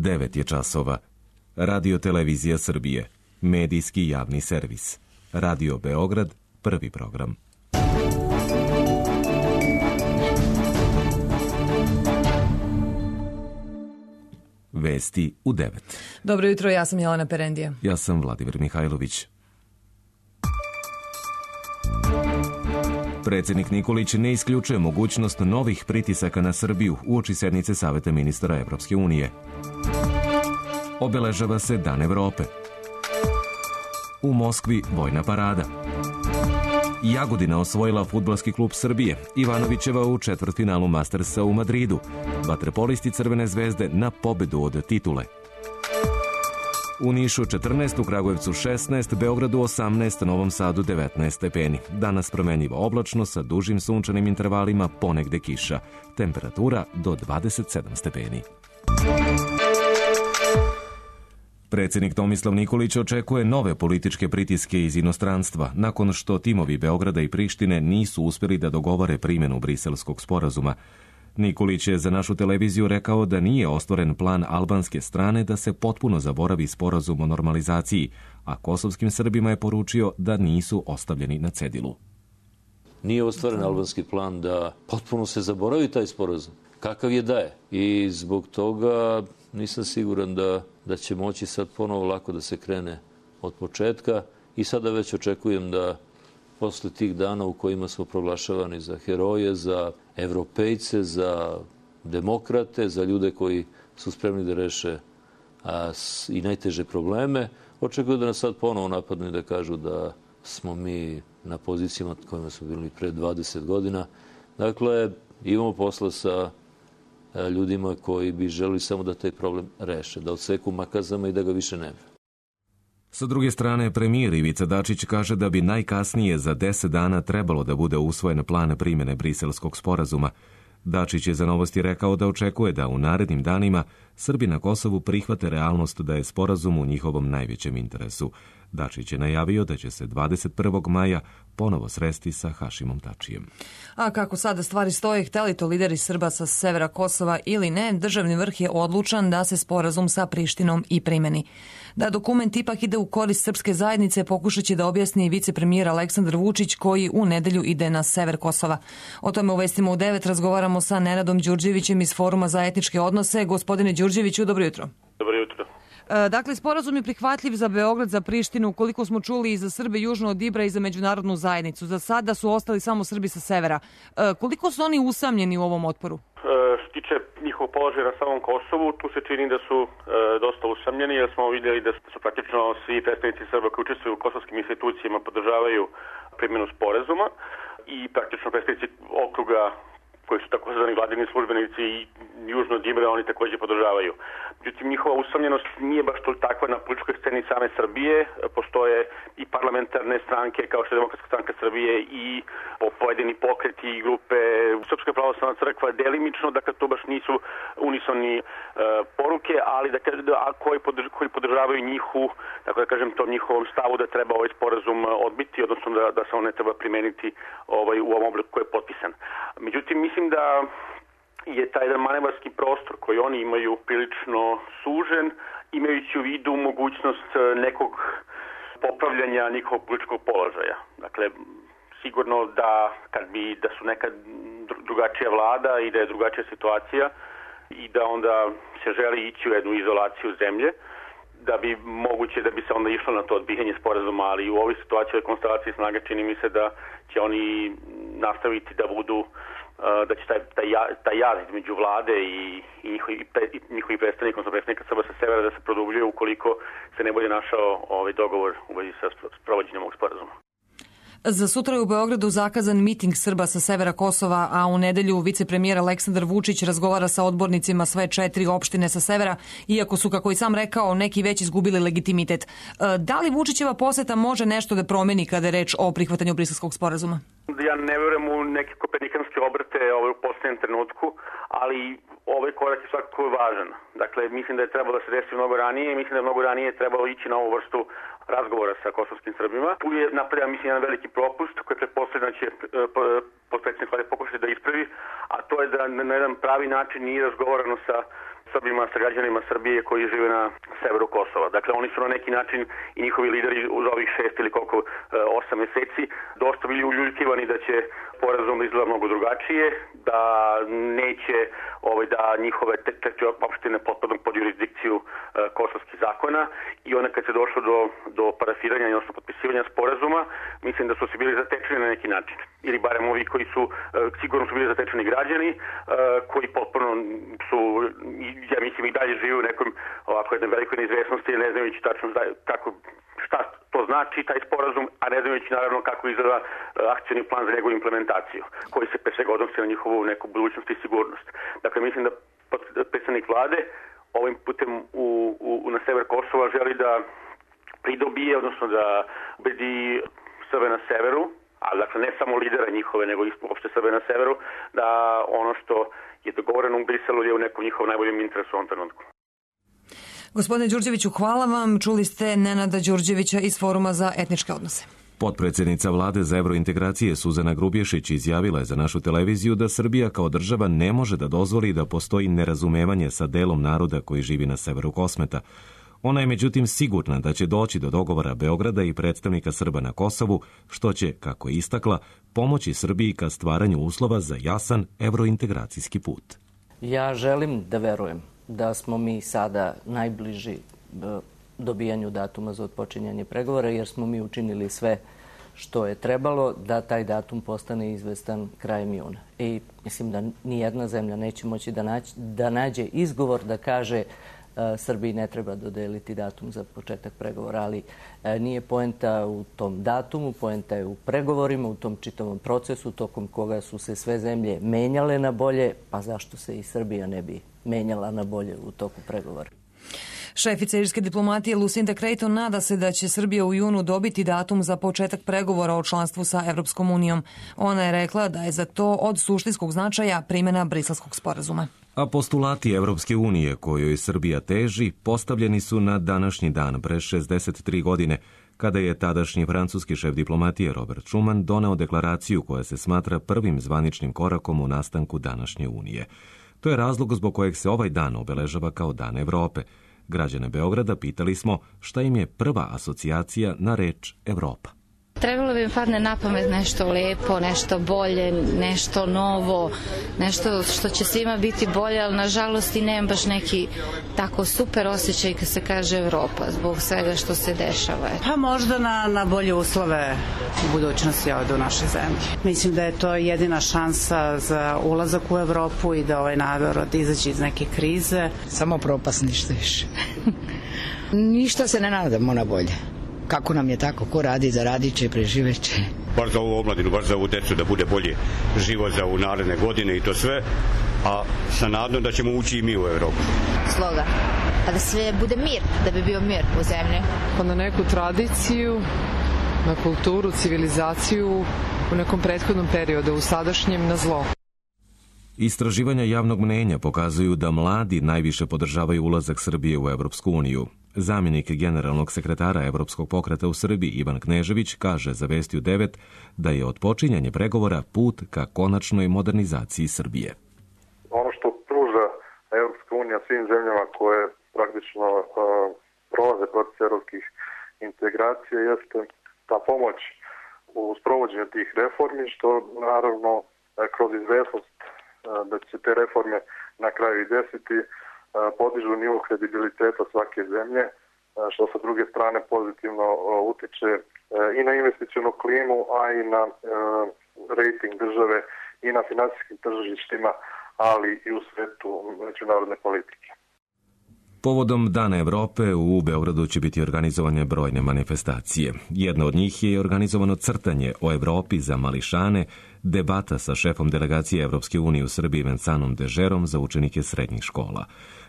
9 je časova. Radio Televizija Srbije. Medijski javni servis. Radio Beograd, prvi program. Vesti u 9. Dobro jutro, ja sam Jelena Perendija. Ja sam Vladimir Mihajlović. Predsjednik Nikolić ne isključuje mogućnost novih pritisaka na Srbiju uoči sednice Saveta ministara Evropske unije. Obeležava se Dan Evrope. U Moskvi vojna parada. Jagodina osvojila fudbalski klub Srbije. Ivanovićeva u četvrtfinalu Mastersa u Madridu. Vaterpolisti Crvene zvezde na pobedu od titule. U Nišu 14, u Kragujevcu 16, Beogradu 18, Novom Sadu 19 stepeni. Danas promenljivo oblačno sa dužim sunčanim intervalima, ponegde kiša. Temperatura do 27 stepeni. Predsjednik Tomislav Nikolić očekuje nove političke pritiske iz inostranstva nakon što timovi Beograda i Prištine nisu uspjeli da dogovore primjenu Briselskog sporazuma. Nikolić je za našu televiziju rekao da nije ostvaren plan albanske strane da se potpuno zaboravi sporazum o normalizaciji, a kosovskim Srbima je poručio da nisu ostavljeni na cedilu. Nije ostvaren albanski plan da potpuno se zaboravi taj sporazum. Kakav je da je. I zbog toga nisam siguran da će moći sad ponovo lako da se krene od početka i sada već očekujem da posle tih dana u kojima smo proglašavani za heroje, za evropejce, za demokrate, za ljude koji su spremni da reše i najteže probleme, očekujem da nas sad ponovo napadnu i da kažu da smo mi na pozicijama kojima smo bili pre 20 godina. Dakle, imamo posla sa ljudima koji bi želeli samo da taj problem reše, da odseku makazama i da ga više nema. Sa druge strane, premijer Ivica Dačić kaže da bi najkasnije za 10 dana trebalo da bude usvojen plan primjene Briselskog sporazuma. Dačić je za Novosti rekao da očekuje da u narednim danima Srbi na Kosovu prihvate realnost da je sporazum u njihovom najvećem interesu. Dačić je najavio da će se 21. maja ponovo sresti sa Hašimom Tačijem. A kako sada stvari stoje, hteli to lideri Srba sa severa Kosova ili ne, državni vrh je odlučan da se sporazum sa Prištinom i primeni. Da dokument ipak ide u korist srpske zajednice pokušat će da objasni vicepremijer Aleksandar Vučić koji u nedelju ide na sever Kosova. O tome u Vestima u 9 razgovaramo sa Nenadom Đurđevićem iz Foruma za etničke odnose. Gospodine Đurđeviću, dobro jutro. Dobro jutro. Dakle, sporazum je prihvatljiv za Beograd, za Prištinu, koliko smo čuli i za Srbe južno od Ibra i za međunarodnu zajednicu. Za sada su ostali samo Srbi sa severa. Koliko su oni usamljeni u ovom otporu? Što tiče njihovog položaja na samom Kosovu, tu se čini da su dosta usamljeni, jer smo vidjeli da su praktično svi predstavnici Srba koji učestvuju u kosovskim institucijama podržavaju primjenu sporazuma i praktično predstavnici okruga koji su takozvani vladini službenici i južno od Ibra, oni također podržavaju. Međutim, njihova usamljenost nije baš to takva na političkoj sceni same Srbije. Postoje i parlamentarne stranke kao što je Demokratska stranka Srbije i pojedini pokreti i grupe. Srpska pravoslavna crkva delimično, dakle to baš nisu unisoni poruke, ali koji podržavaju da kažem tom njihovom stavu da treba ovaj sporazum odbiti, odnosno da se on ne treba primeniti u ovom obliku koji je potpisan. Međutim, mislim da je taj jedan manevarski prostor koji oni imaju prilično sužen, imajući u vidu mogućnost nekog popravljanja njihovog političkog položaja. Dakle, sigurno da su neka drugačija vlada i da je drugačija situacija i da onda se želi ići u jednu izolaciju zemlje, da bi moguće da bi se onda išlo na to odbijanje sporazuma, ali u ovoj situaciji o konstelaciji snaga čini mi se da će oni nastaviti da budu, da će taj jaz između vlade i njihovi predstavnika, odnosno predstavnika Srba sa severa da se produbljuje ukoliko se ne bude našao ovaj dogovor u vezi sa sprovođenjem ovog sporazuma. Za sutra je u Beogradu zakazan miting Srba sa severa Kosova, a u nedelju vicepremijer Aleksandar Vučić razgovara sa odbornicima sve 4 opštine sa severa, iako su, kako i sam rekao, neki već izgubili legitimitet. Da li Vučićeva poseta može nešto da promeni kada je reč o prihvatanju Briselskog sporazuma? Ja ne verujem u neke kopernikanske obrte u posljednjem trenutku, ali ovaj korak je svakako važan. Dakle, mislim da je trebalo da se desi mnogo ranije i mislim da je mnogo ranije trebalo ići na ovu vrstu razgovora sa kosovskim Srbima. Tu je napravljen, mislim, jedan veliki propust koji pretpostavljam da će potpredsjednik Vlade pokušati da ispravi, a to je da na jedan pravi način nije razgovarano sa Srbima, sa građanima Srbije koji žive na severu Kosova. Dakle, oni su na neki način i njihovi lideri uz ovih 6 ili koliko 8 meseci dosta bili uljuljkivani da će sporazum izgleda mnogo drugačije, da neće da njihove 4 opštine potpadnu pod jurisdikciju kosovskih zakona i onda kad se došlo do parafiranja, odnosno potpisivanja sporazuma, mislim da su se bili zatečeni na neki način. Ili barem ovi koji su, sigurno su bili zatečeni građani, koji potpuno su, ja mislim, i dalje žive u nekom ovako jednoj velikoj neizvesnosti, ne znajući tačno šta to znači taj sporazum, a ne znajući naravno kako izgleda akcioni plan za njegovu implementaciju, koji se pre svega odnosi na njihovu neku budućnost i sigurnost. Dakle, mislim da predsednik vlade ovim putem na sever Kosova želi da pridobije, odnosno da ubedi Srbe na severu, a dakle ne samo lidera njihove, nego uopšte Srbe na severu, da ono što je dogovoreno u Briselu je u nekom njihovom najboljem interesu u ovom trenutku. Gospodine Đurđeviću, hvala vam. Čuli ste Nenada Đurđevića iz Foruma za etničke odnose. Potpredsjednica vlade za evrointegracije Suzana Grubješić izjavila je za našu televiziju da Srbija kao država ne može da dozvoli da postoji nerazumevanje sa delom naroda koji živi na severu Kosmeta. Ona je međutim sigurna da će doći do dogovora Beograda i predstavnika Srba na Kosovu, što će, kako je istakla, pomoći Srbiji ka stvaranju uslova za jasan evrointegracijski put. Ja želim da verujem da smo mi sada najbliži dobijanju datuma za otpočinjanje pregovora, jer smo mi učinili sve što je trebalo da taj datum postane izvestan krajem juna. I mislim da nijedna zemlja neće moći da nađe izgovor da kaže Srbiji ne treba dodeliti datum za početak pregovora, ali nije poenta u tom datumu, poenta je u pregovorima, u tom čitavom procesu tokom koga su se sve zemlje menjale na bolje, pa zašto se i Srbija ne bi menjala na bolje u toku pregovora. Šefica irske diplomatije Lucinda Creighton nada se da će Srbija u junu dobiti datum za početak pregovora o članstvu sa Evropskom unijom. Ona je rekla da je za to od suštinskog značaja primjena Briselskog sporazuma. A postulati Evropske unije kojoj Srbija teži postavljeni su na današnji dan pre 63 godine, kada je tadašnji francuski šef diplomatije Robert Schuman doneo deklaraciju koja se smatra prvim zvaničnim korakom u nastanku današnje unije. To je razlog zbog kojeg se ovaj dan obeležava kao Dan Evrope. Građane Beograda pitali smo šta im je prva asocijacija na reč Evropa. Trebalo bi mi padne na pamet nešto lepo, nešto bolje, nešto novo, nešto što će svima biti bolje, ali nažalost i nemam baš neki tako super osjećaj kad se kaže Evropa zbog svega što se dešava. Pa možda na bolje uslove u budućnosti ovde u našoj zemlji. Mislim da je to jedina šansa za ulazak u Evropu i da ovaj narod izađe iz neke krize. Samo propast, ništa više. Ništa se ne nadamo na bolje. Kako nam je tako, ko radi, zaradit će, preživet će. Bar za ovu omladinu, bar za ovu decu da bude bolje život za ovu naredne godine i to sve, a sa nadom da ćemo ući i mi u Evropu. Sloga, pa da sve bude mir, da bi bio mir u zemlji. Pa na neku tradiciju, na kulturu, civilizaciju u nekom prethodnom periodu, u sadašnjem na zlo. Istraživanja javnog mnenja pokazuju da mladi najviše podržavaju ulazak Srbije u Evropsku uniju. Zamjenik generalnog sekretara Evropskog pokreta u Srbiji Ivan Knežević kaže za Vestiju 9 da je odpočinjanje pregovora put ka konačnoj modernizaciji Srbije. Ono što pruža Evropska unija svim zemljama koje praktično prolaze proces evropskih integracija jeste ta pomoć u sprovođenju tih reformi, što naravno kroz izvesnost da će te reforme na kraju i desiti podižu nivo kredibiliteta svake zemlje, što sa druge strane pozitivno utiče i na investicionu klimu, a i na rejting države i na finansijskim tržištima, ali i u svetu međunarodne politike. Povodom Dana Evrope u Beogradu će biti organizovane brojne manifestacije. Jedna od njih je organizovano crtanje o Evropi za mališane, debata sa šefom delegacije Evropske unije u Srbiji Vencanom Dežerom za učenike srednjih škola.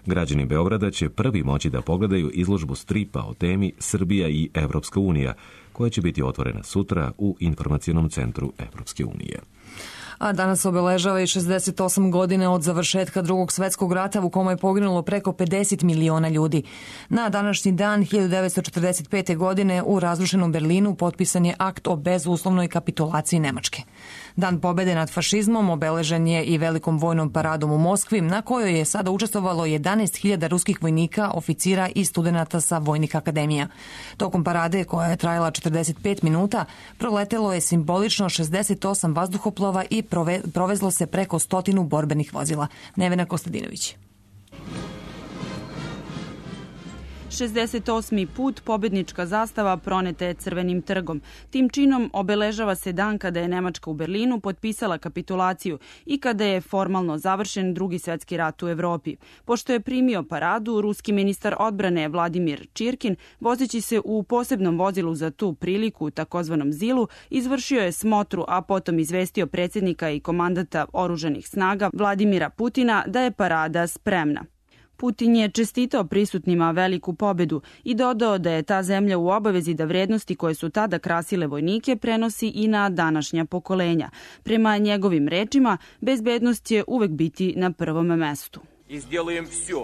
Građani Beograda će prvi moći da pogledaju izložbu stripa o temi Srbija i Evropska unija, koja će biti otvorena sutra u informacionom centru Evropske unije. A danas obeležava i 68 godine od završetka Drugog svjetskog rata u kome je poginulo preko 50 miliona ljudi. Na današnji dan 1945. godine u razrušenom Berlinu potpisan je akt o bezuslovnoj kapitulaciji Nemačke. Dan pobede nad fašizmom obeležen je i velikom vojnom paradom u Moskvi, na kojoj je sada učestvovalo 11.000 ruskih vojnika, oficira i studenata sa vojnih akademija. Tokom parade, koja je trajala 45 minuta, proletelo je simbolično 68 vazduhoplova i provezlo se preko 100 borbenih vozila. Nevena Kostadinović. 68. put pobednička zastava proneta je Crvenim trgom. Tim činom obeležava se dan kada je Nemačka u Berlinu potpisala kapitulaciju i kada je formalno završen Drugi svetski rat u Evropi. Pošto je primio paradu, ruski ministar odbrane Vladimir Čirkin, vozeći se u posebnom vozilu za tu priliku, takozvanom Zilu, izvršio je smotru, a potom izvestio predsjednika i komandanta oružanih snaga Vladimira Putina da je parada spremna. Putin je čestitao prisutnima veliku pobedu i dodao da je ta zemlja u obavezi da vrednosti koje su tada krasile vojnike prenosi i na današnja pokolenja. Prema njegovim rečima, bezbednost će uvek biti na prvom mestu.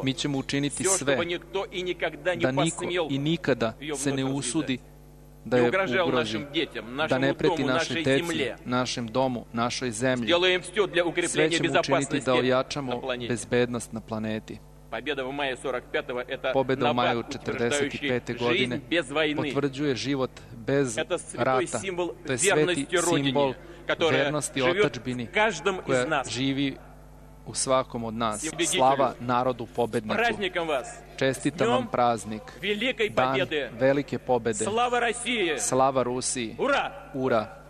Mi ćemo učiniti sve da niko i nikada se ne usudi da je ugrozi, da ne preti našoj deci, našem domu, našoj zemlji. Sve ćemo učiniti da ojačamo bezbednost na planeti. Pobjeda u maju 1945. godine potvrđuje život bez rata. To je sveti simbol vernosti otadžbini koja živi u svakom od nas. Slava narodu pobedniku. Čestitam vam praznik. Dan velike pobede. Slava Rusiji. Ura!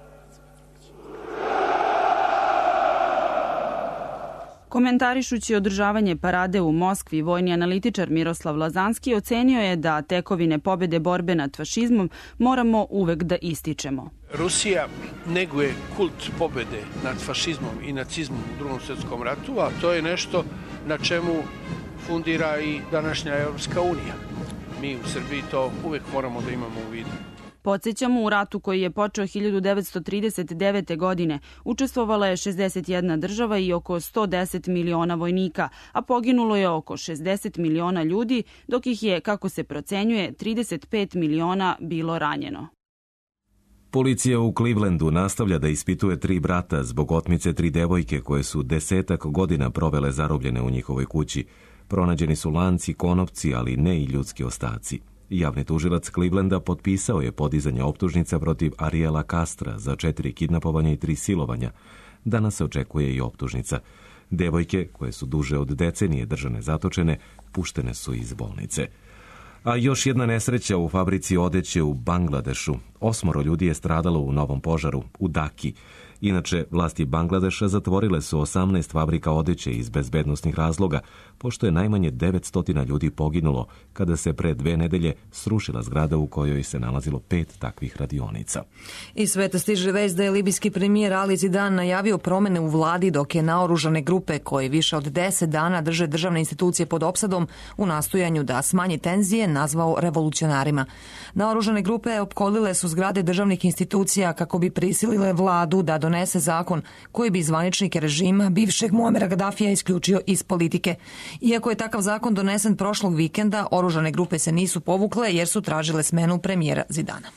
Komentarišući održavanje parade u Moskvi, vojni analitičar Miroslav Lazanski ocenio je da tekovine pobede borbe nad fašizmom moramo uvek da ističemo. Rusija neguje kult pobede nad fašizmom i nacizmom u Drugom svjetskom ratu, a to je nešto na čemu fundira i današnja Europska unija. Mi u Srbiji to uvek moramo da imamo u vidu. Podsjećamo, u ratu koji je počeo 1939. godine učestvovala je 61 država i oko 110 miliona vojnika, a poginulo je oko 60 miliona ljudi, dok ih je, kako se procenjuje, 35 miliona bilo ranjeno. Policija u Clevelandu nastavlja da ispituje 3 brata zbog otmice 3 devojke koje su 10 godina provele zarobljene u njihovoj kući. Pronađeni su lanci, konopci, ali ne i ljudski ostaci. Javni tužilac Clevelanda potpisao je podizanje optužnica protiv Ariela Castra za 4 kidnapovanja i 3 silovanja. Danas se očekuje i optužnica. Devojke, koje su duže od decenije držane zatočene, puštene su iz bolnice. A još jedna nesreća u fabrici odeće u Bangladešu. 8 ljudi je stradalo u novom požaru u Daki. Inače, vlasti Bangladeša zatvorile su 18 fabrika odeće iz bezbednosnih razloga, pošto je najmanje 900 ljudi poginulo kada se pre 2 nedelje srušila zgrada u kojoj se nalazilo 5 takvih radionica. Iz sveta stiže vest da je libijski premijer Ali Zidan najavio promene u vladi, dok je naoružane grupe koje više od 10 dana drže državne institucije pod opsadom u nastojanju da smanje tenzije nazvao revolucionarima. Naoružane grupe opkolile su zgrade državnih institucija kako bi prisilile vladu da donese zakon koji bi zvaničnike režima bivšeg Muamera Gadafija isključio iz politike. Iako je takav zakon donesen prošlog vikenda, oružane grupe se nisu povukle jer su tražile smenu premijera Zidana.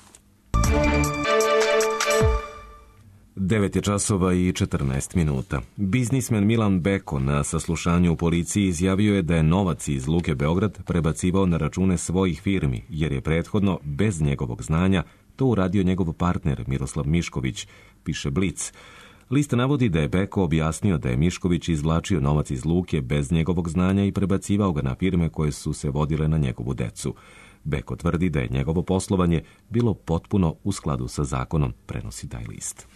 9:14. Biznismen Milan Beko na saslušanju u policiji izjavio je da je novac iz Luke Beograd prebacivao na račune svojih firmi, jer je prethodno, bez njegovog znanja, to uradio njegov partner Miroslav Mišković, piše Blic. List navodi da je Beko objasnio da je Mišković izvlačio novac iz Luke bez njegovog znanja i prebacivao ga na firme koje su se vodile na njegovu decu. Beko tvrdi da je njegovo poslovanje bilo potpuno u skladu sa zakonom, prenosi taj list.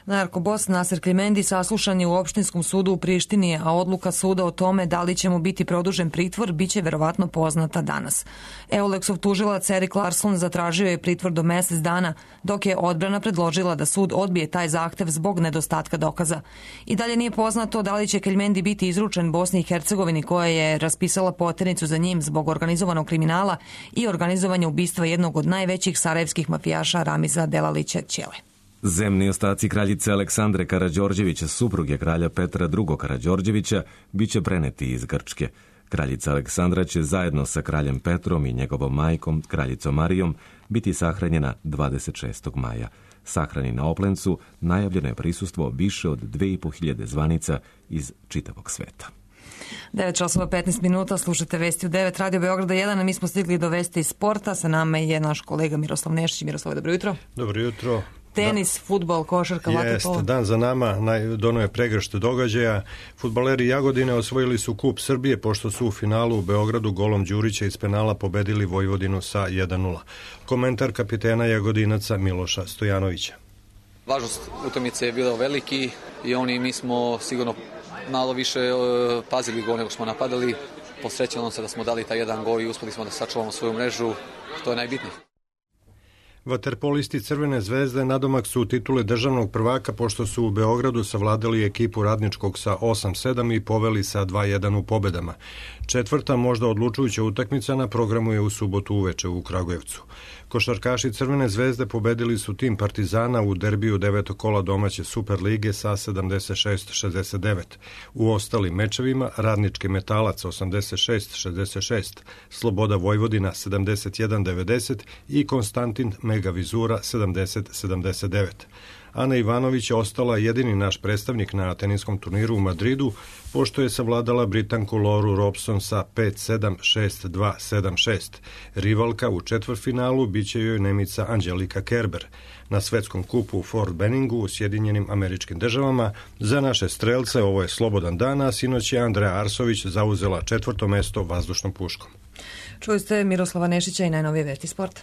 Narkobos Naser Klimendi saslušan je u opštinskom sudu u Prištini, a odluka suda o tome da li će mu biti produžen pritvor biće verovatno poznata danas. Euleksov tužilac Erik Larsson zatražio je pritvor do mesec dana, dok je odbrana predložila da sud odbije taj zahtev zbog nedostatka dokaza. I dalje nije poznato da li će Klimendi biti izručen Bosni i Hercegovini, koja je raspisala poternicu za njim zbog organizovanog kriminala i organizovanja ubistva jednog od najvećih sarajevskih mafijaša Ramiza Delalića Ćele. Zemni ostaci kraljice Aleksandre Karađorđevića, supruge kralja Petra II. Karađorđevića, bit će preneti iz Grčke. Kraljica Aleksandra će zajedno sa kraljem Petrom i njegovom majkom, kraljicom Marijom, biti sahranjena 26. maja. Sahrani na Oplencu najavljeno je prisustvo više od 2500 zvanica iz čitavog sveta. 9:15, slušate vesti u 9 Radio Beograda 1, a mi smo stigli do vesti iz sporta. Sa nama je naš kolega Miroslav Nešić. Miroslav, dobro jutro. Dobro jutro. Tenis, fudbal, košarka, vaterpolo. Dan za nama, dono je pregršt događaja. Fudbaleri Jagodine osvojili su kup Srbije pošto su u finalu u Beogradu golom Đurića iz penala pobedili Vojvodinu sa 1:0. Komentar kapitena Jagodinaca Miloša Stojanovića. Važnost utakmice je bila veliki i mi smo sigurno malo više pazili gol nego smo napadali. Posrećilo se da smo dali taj jedan gol i uspeli smo da sačuvamo svoju mrežu, što je najbitnije. Vaterpolisti Crvene zvezde nadomak su titule državnog prvaka pošto su u Beogradu savladali ekipu Radničkog sa 8-7 i poveli sa 2-1 u pobedama. Četvrta, možda odlučujuća utakmica na programu je u subotu uveče u Kragujevcu. Košarkaši Crvene zvezde pobedili su tim Partizana u derbiju 9. kola domaće Super lige sa 76-69. U ostalim mečevima Radnički Metalac 86-66, Sloboda Vojvodina 71-90 i Konstantin Mega Vizura 70-79. Ana Ivanović je ostala jedini naš predstavnik na teniskom turniru u Madridu, pošto je savladala Britanku Lauru Robson sa 5-7, 6-2, 7-6. Rivalka u četvrtfinalu biće joj Nemica Angelika Kerber. Na svetskom kupu u Fort Benningu u Sjedinjenim Američkim Državama za naše strelce ovo je slobodan dan, a sinoć je Andreja Arsović zauzela 4. mesto vazdušnom puškom. Čuli ste Miroslava Nešića i najnovije vesti sporta.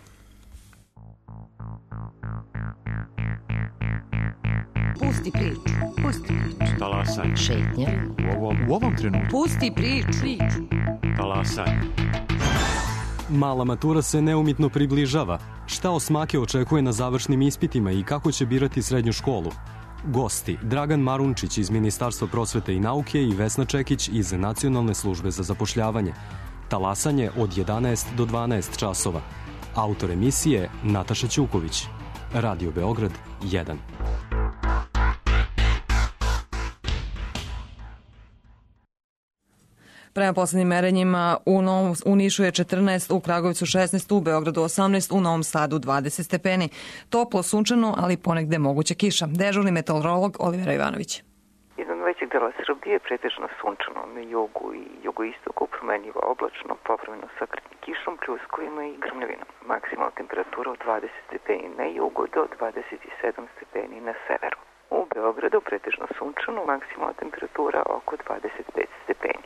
Pusti priču. Talasanje. Šetnja. U ovom trenutku. Pusti priču. Talasanje. Mala matura se neumitno približava. Šta osmake očekuje na završnim ispitima i kako će birati srednju školu? Gosti: Dragan Marunčić iz Ministarstva prosvete i nauke i Vesna Čekić iz Nacionalne službe za zapošljavanje. Talasanje od 11 do 12 časova. Autor emisije Nataša Ćuković. Radio Beograd 1. Prema poslednjim merenjima u Nišu je 14, u Kragujevcu 16, u Beogradu 18, u Novom Sadu 20 stepeni. Toplo, sunčano, ali ponegde moguća kiša. Dežurni meteorolog Olivera Ivanović. Jedan većeg dela Srbije pretežno sunčano, na jugu i jugoistoku promenljivo oblačno, povremeno sakretnim kišom, pljuskovima i grmljavinom. Maksimalna temperatura od 20 stepeni na jugu do 27 stepeni na severu. U Beogradu pretežno sunčano, maksimalna temperatura oko 25 stepeni.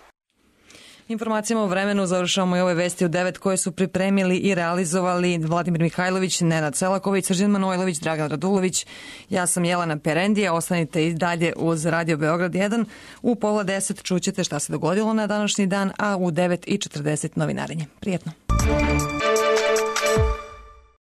Informacijama o vremenu završavamo i ove vesti u 9 koje su pripremili i realizovali Vladimir Mihajlović, Nenad Selaković, Srđan Manojlović, Dragan Radulović. Ja sam Jelena Perendija. Ostanite i dalje uz Radio Beograd 1. U 9:30 čućete šta se dogodilo na današnji dan, a u 9:40 novinarenje. Prijetno.